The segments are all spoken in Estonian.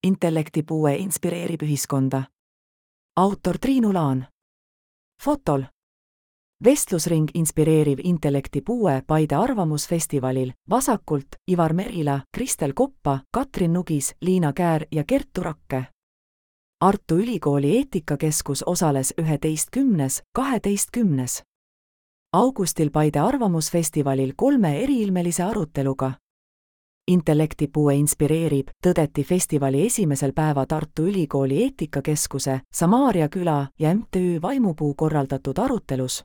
Intellektipuue inspireerib ühiskonda. Autor Triinu Laan. Fotol. Vestlusring inspireeriv intellektipuue Paide arvamusfestivalil vasakult Ivar Merila, Kristel Koppa, Katrin Nugis, Liina Käär ja Kertu Rakke. Tartu Ülikooli eetikakeskus osales 11.–12. augustil Paide arvamusfestivalil 3 eriilmelise aruteluga. Intellektipuue inspireerib, tõdeti festivali esimesel päeva Tartu Ülikooli eetikakeskuse, Samaaria küla ja MTÜ Vaimupuu korraldatud arutelus.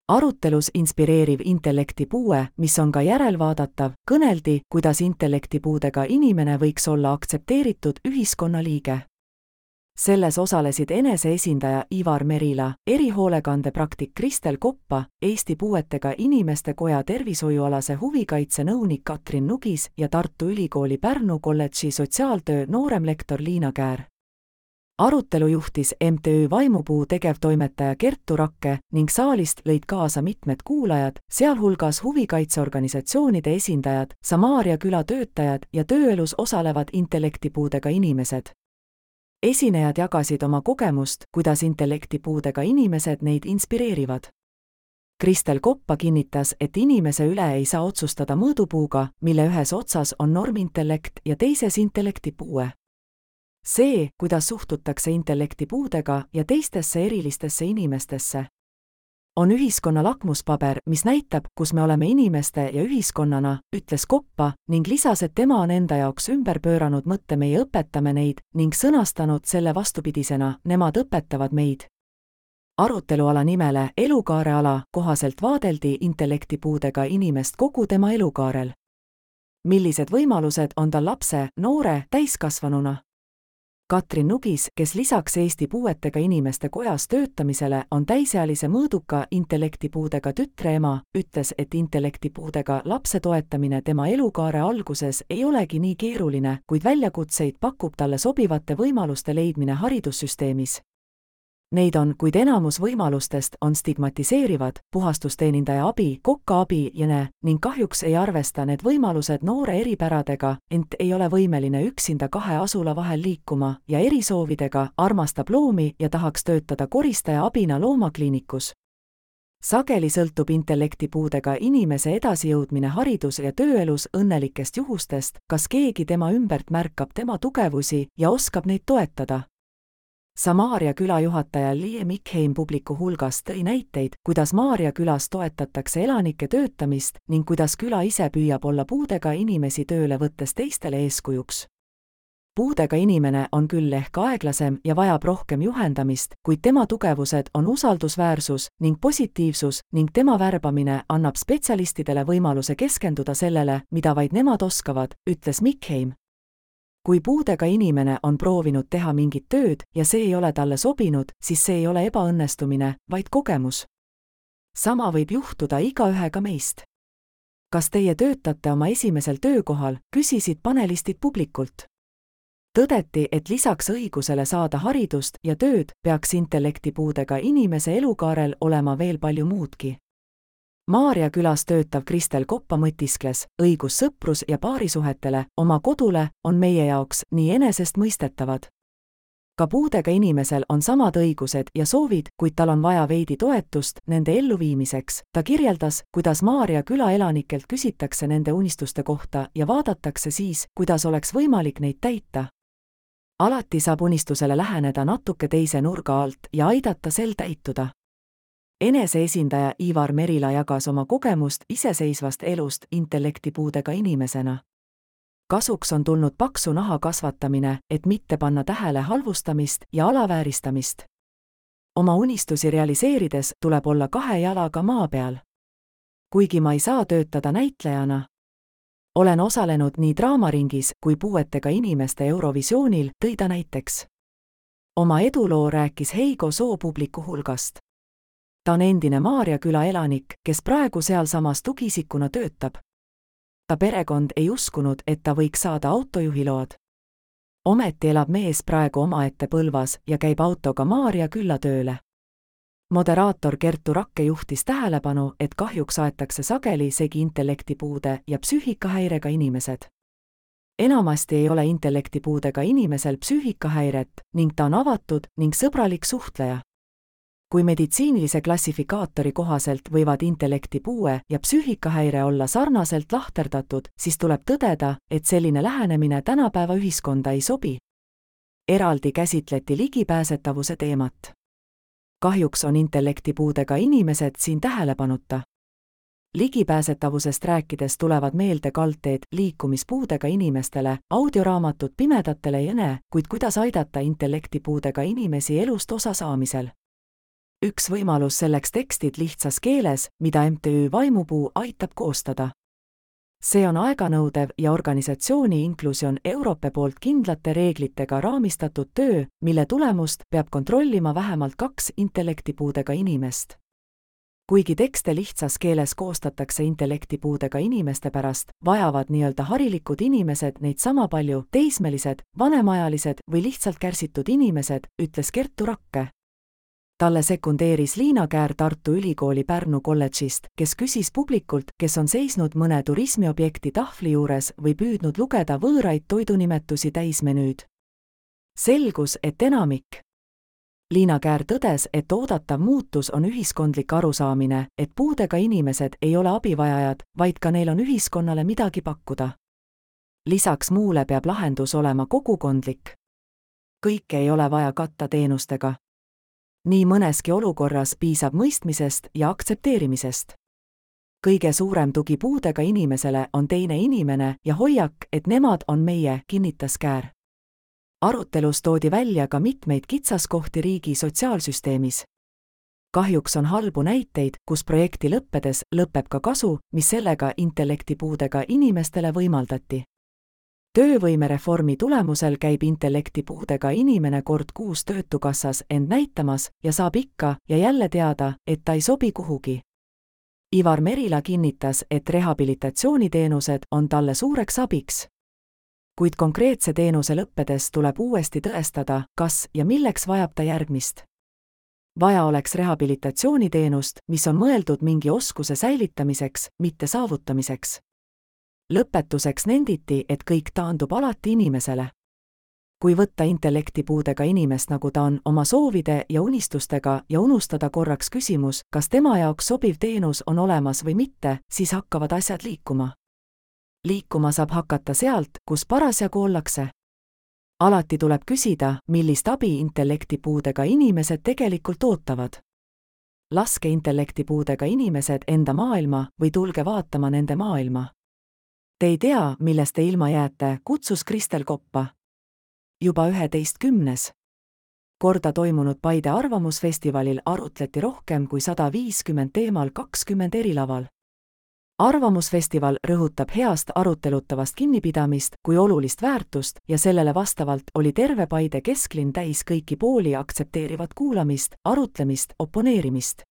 Arutelus inspireeriv intellektipuue, mis on ka järelvaadatav, kõneldi, kuidas intellektipuudega inimene võiks olla aktsepteeritud ühiskonnaliige. Selles osalesid eneseesindaja Ivar Merila, erihoolekandepraktik Kristel Koppa, Eesti Puuetega Inimeste Koja tervishoiualase huvikaitse nõunik Katrin Nugis ja Tartu Ülikooli Pärnu kolledži sotsiaaltöö nooremlektor Liina Käär. Arutelu juhtis MTÜ Vaimupuu tegevtoimetaja Kertu Rakke ning saalist lõid kaasa mitmed kuulajad, sealhulgas huvikaitseorganisatsioonide esindajad, Samaaria küla töötajad ja tööelus osalevad intellektipuudega inimesed. Esinejad jagasid oma kogemust, kuidas intellektipuudega inimesed neid inspireerivad. Kristel Koppa kinnitas, et inimese üle ei saa otsustada mõõdupuuga, mille ühes otsas on normintellekt ja teises intellektipuue. See, kuidas suhtutakse intellektipuudega ja teistesse erilistesse inimestesse, on ühiskonna lakmuspaber, mis näitab, kus me oleme inimeste ja ühiskonnana, ütles Koppa ning lisas, et tema on enda jaoks ümber pööranud mõtte meie õpetame neid ning sõnastanud selle vastupidisena, nemad õpetavad meid. Aruteluala nimele elukaareala kohaselt vaadeldi intellektipuudega inimest kogu tema elukaarel. Millised võimalused on tal lapse, noore, täiskasvanuna? Katrin Nugis, kes lisaks Eesti Puuetega Inimeste Kojas töötamisele on täisealise mõõduka intellektipuudega tütre ema, ütles, et intellektipuudega lapse toetamine tema elukaare alguses ei olegi nii keeruline, kuid väljakutseid pakub talle sobivate võimaluste leidmine haridussüsteemis. Neid on, kuid enamus võimalustest on stigmatiseerivad, puhastusteenindaja abi, kokka abi ning kahjuks ei arvesta need võimalused noore eripäradega, ent ei ole võimeline üksinda 2 asula vahel liikuma ja erisoovidega, armastab loomi ja tahaks töötada koristaja abina loomakliinikus. Sageli sõltub intellektipuudega inimese edasijõudmine haridus- ja tööelus õnnelikest juhustest, kas keegi tema ümbert märkab tema tugevusi ja oskab neid toetada. Samaaria küla juhataja Lie Mikheim publiku hulgas tõi näiteid, kuidas Maarja külas toetatakse elanike töötamist ning kuidas küla ise püüab olla puudega inimesi tööle võttes teistele eeskujuks. Puudega inimene on küll ehk aeglasem ja vajab rohkem juhendamist, kuid tema tugevused on usaldusväärsus ning positiivsus ning tema värbamine annab spetsialistidele võimaluse keskenduda sellele, mida vaid nemad oskavad, ütles Mikheim. Kui puudega inimene on proovinud teha mingit tööd ja see ei ole talle sobinud, siis see ei ole ebaõnnestumine, vaid kogemus. Sama võib juhtuda igaühega meist. Kas teie töötate oma esimesel töökohal, küsisid panelistid publikult. Tõdeti, et lisaks õigusele saada haridust ja tööd peaks intellektipuudega inimese elukaarel olema veel palju muudki. Maarja külas töötav Kristel Koppa mõtiskles, õigus sõprus- ja paarisuhetele, oma kodule, on meie jaoks nii enesestmõistetavad. Ka puudega inimesel on samad õigused ja soovid, kuid tal on vaja veidi toetust nende elluviimiseks. Ta kirjeldas, kuidas Maarja küla elanikelt küsitakse nende unistuste kohta ja vaadatakse siis, kuidas oleks võimalik neid täita. Alati saab unistusele läheneda natuke teise nurga alt ja aidata sel täituda. Eneseesindaja Ivar Merila jagas oma kogemust iseseisvast elust intellektipuudega inimesena. Kasuks on tulnud paksu naha kasvatamine, et mitte panna tähele halvustamist ja alavääristamist. Oma unistusi realiseerides tuleb olla 2 jalaga maa peal. Kuigi ma ei saa töötada näitlejana, olen osalenud nii draamaringis kui puuetega inimeste Eurovisioonil, tõi ta näiteks. Oma eduloo rääkis Heigo Soo publiku hulgast. Ta on endine Maarja küla elanik, kes praegu sealsamas tugiisikuna töötab. Ta perekond ei uskunud, et ta võiks saada autojuhiload. Ometi elab mees praegu omaette Põlvas ja käib autoga Maarja külla tööle. Moderaator Kertu Rakke juhtis tähelepanu, et kahjuks aetakse sageli segi intellektipuude ja psüühikahäirega inimesed. enamasti ei ole intellektipuudega inimesel psüühikahäiret ning ta on avatud ning sõbralik suhtleja. Kui meditsiinilise klassifikaatori kohaselt võivad intellektipuue ja psüühikahäire olla sarnaselt lahterdatud, siis tuleb tõdeda, et selline lähenemine tänapäeva ühiskonda ei sobi. Eraldi käsitleti ligipääsetavuse teemat. Kahjuks on intellektipuudega inimesed siin tähelepanuta. Ligipääsetavusest rääkides tulevad meelde kaldteed liikumispuudega inimestele, audioraamatud pimedatele jne, kuid kuidas aidata intellektipuudega inimesi elust osa saamisel. Üks võimalus selleks tekstid lihtsas keeles, mida MTÜ Vaimupuu aitab koostada. See on aeganõudev ja organisatsiooni Inclusion Europe poolt kindlate reeglitega raamistatud töö, mille tulemust peab kontrollima vähemalt 2 intellektipuudega inimest. Kuigi tekste lihtsas keeles koostatakse intellektipuudega inimeste pärast, vajavad nii-öelda harilikud inimesed neid sama palju teismelised, vanemaajalised või lihtsalt kärsitud inimesed, ütles Kertu Rakke. Talle sekundeeris Liina Käär Tartu Ülikooli Pärnu kolledžist, kes küsis publikult, kes on seisnud mõne turismiobjekti tahvli juures või püüdnud lugeda võõraid toidunimetusi täismenüüd. Selgus, et enamik. Liina Käär tõdes, et oodatav muutus on ühiskondlik arusaamine, et puudega inimesed ei ole abivajajad, vaid ka neil on ühiskonnale midagi pakkuda. Lisaks muule peab lahendus olema kogukondlik. Kõike ei ole vaja katta teenustega. Nii mõneski olukorras piisab mõistmisest ja aktsepteerimisest. Kõige suurem tugi puudega inimesele on teine inimene ja hoiak, et nemad on meie, kinnitas Käär. Arutelus toodi välja ka mitmeid kitsaskohti riigi sotsiaalsüsteemis. Kahjuks on halbu näiteid, kus projekti lõppedes lõpeb ka kasu, mis sellega intellektipuudega inimestele võimaldati. Töövõimereformi tulemusel käib intellektipuudega inimene kord kuus töötukassas end näitamas ja saab ikka ja jälle teada, et ta ei sobi kuhugi. Ivar Merila kinnitas, et rehabilitatsiooniteenused on talle suureks abiks. Kuid konkreetse teenuse lõppedes tuleb uuesti tõestada, kas ja milleks vajab ta järgmist. Vaja oleks rehabilitatsiooniteenust, mis on mõeldud mingi oskuse säilitamiseks, mitte saavutamiseks. Lõpetuseks nenditi, et kõik taandub alati inimesele. Kui võtta intellektipuudega inimest nagu ta on oma soovide ja unistustega ja unustada korraks küsimus, kas tema jaoks sobiv teenus on olemas või mitte, siis hakkavad asjad liikuma. Liikuma saab hakata sealt, kus parasjagu ollakse. Alati tuleb küsida, millist abi intellektipuudega inimesed tegelikult ootavad. Laske intellektipuudega inimesed enda maailma või tulge vaatama nende maailma. Te ei tea, millest te ilma jääte, kutsus Kristel Koppa. Juba 11. korda toimunud Paide arvamusfestivalil arutleti rohkem kui 150 teemal 20 erilaval. Arvamusfestival rõhutab heast arutelutavast kinnipidamist kui olulist väärtust ja sellele vastavalt oli terve Paide kesklinn täis kõiki pooli aktsepteerivat kuulamist, arutlemist, oponeerimist.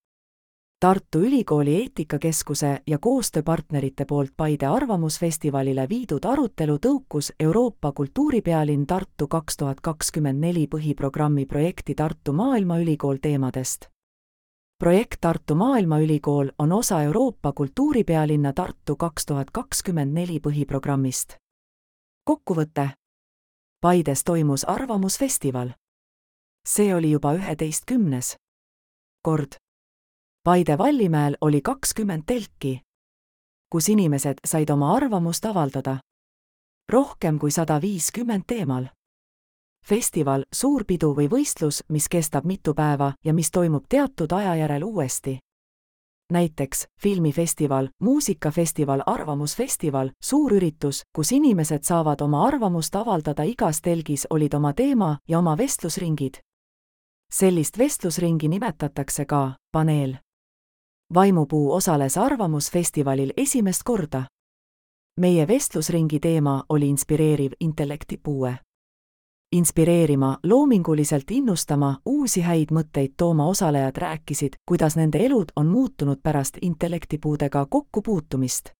Tartu Ülikooli eetikakeskuse ja koostööpartnerite poolt Paide arvamusfestivalile viidud arutelu tõukus Euroopa kultuuripealinn Tartu 2024 põhiprogrammi projekti Tartu Maailmaülikool teemadest. Projekt Tartu Maailmaülikool on osa Euroopa kultuuripealinna Tartu 2024 põhiprogrammist. Kokkuvõte. Paides toimus arvamusfestival. See oli juba 11. kord. Paide Vallimäel oli 20 telki, kus inimesed said oma arvamust avaldada. Rohkem kui 150 teemal. Festival, suur pidu või võistlus, mis kestab mitu päeva ja mis toimub teatud aja järel uuesti. Näiteks filmifestival, muusikafestival, arvamusfestival, suur üritus, kus inimesed saavad oma arvamust avaldada igas telgis olid oma teema ja oma vestlusringid. Sellist vestlusringi nimetatakse ka paneel. Vaimupuu osales arvamusfestivalil esimest korda. Meie vestlusringi teema oli inspireeriv intellektipuue. Inspireerima, loominguliselt innustama, uusi häid mõtteid tooma osalejad rääkisid, kuidas nende elud on muutunud pärast intellektipuudega kokkupuutumist.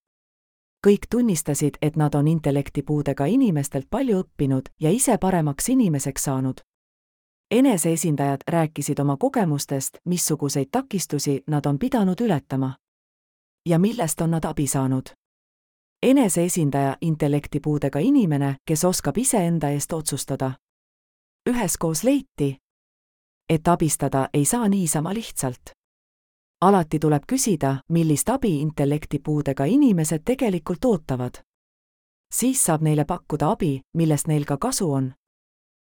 Kõik tunnistasid, et nad on intellektipuudega inimestelt palju õppinud ja ise paremaks inimeseks saanud. Eneseesindajad rääkisid oma kogemustest, missuguseid takistusi nad on pidanud ületama. Ja millest on nad abi saanud. eneseesindaja intellektipuudega inimene, kes oskab iseenda eest otsustada. Üheskoos leiti, et abistada ei saa niisama lihtsalt. Alati tuleb küsida, millist abi intellektipuudega inimesed tegelikult ootavad. Siis saab neile pakkuda abi, millest neil ka kasu on.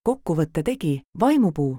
Kokkuvõtte tegi Vaimupuu.